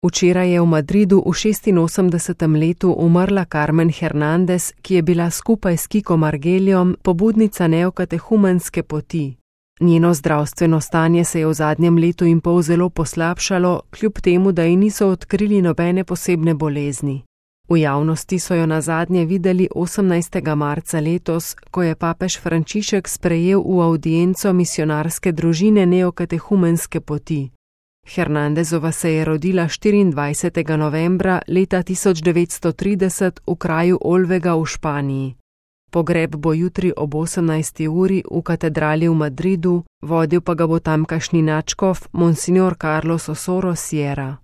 Včeraj je v Madridu v 86. letu umrla Carmen Hernández, ki je bila skupaj s Kikom Argelijem pobudnica neokatehumenske poti. Njeno zdravstveno stanje se je v zadnjem letu in pol zelo poslabšalo, kljub temu, da ji niso odkrili nobene posebne bolezni. V javnosti so jo nazadnje videli 18. marca letos, ko je papež Frančišek sprejel v avdienco misionarske družine neokatehumenske poti. Hernándezova se je rodila 24. novembra leta 1930 v kraju Olvega v Španiji. Pogreb bo jutri ob 18. uri v katedrali v Madridu, vodil pa ga bo tamkajšnji nadškof Monsignor Carlos Osoro Sierra.